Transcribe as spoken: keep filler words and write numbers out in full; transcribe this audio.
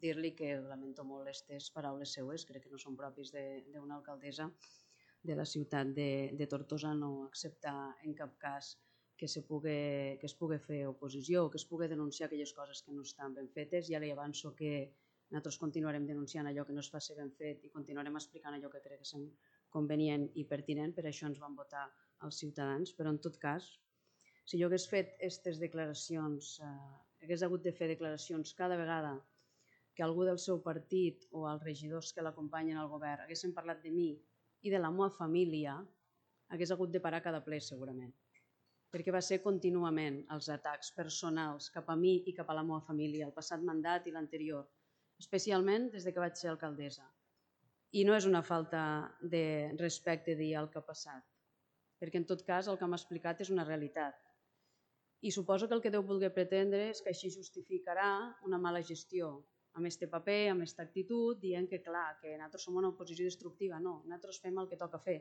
dir-li que lamento molt aquestes paraules seues, crec que no són propis d'una alcaldessa de la ciutat de Tortosa no acceptar en cap cas que es pugui fer oposició o que es pugui denunciar aquelles coses que no estan ben fetes. Ja li avanço que nosaltres continuarem denunciant allò que no es faci ben fet i continuarem explicant allò que crec que és convenient i pertinent, per això ens van votar els ciutadans, però en tot cas, si jo hagués fet aquestes declaracions, hagués hagut de fer declaracions cada vegada que algú del seu partit o els regidors que l'acompanyen al govern haguessin parlat de mi i de la meva família, hagués hagut de parar cada ple segurament, perquè va ser contínuament els atacs personals cap a mi i cap a la meva família, el passat mandat i l'anterior, especialment des que vaig ser alcaldessa. I no és una falta de respecte dir el que ha passat, perquè en tot cas el que m'ha explicat és una realitat. I suposo que el que deu voler pretendre és que així justificarà una mala gestió, amb aquest paper, amb aquesta actitud, dient que clar, que nosaltres som una oposició destructiva. No, nosaltres fem el que toca fer.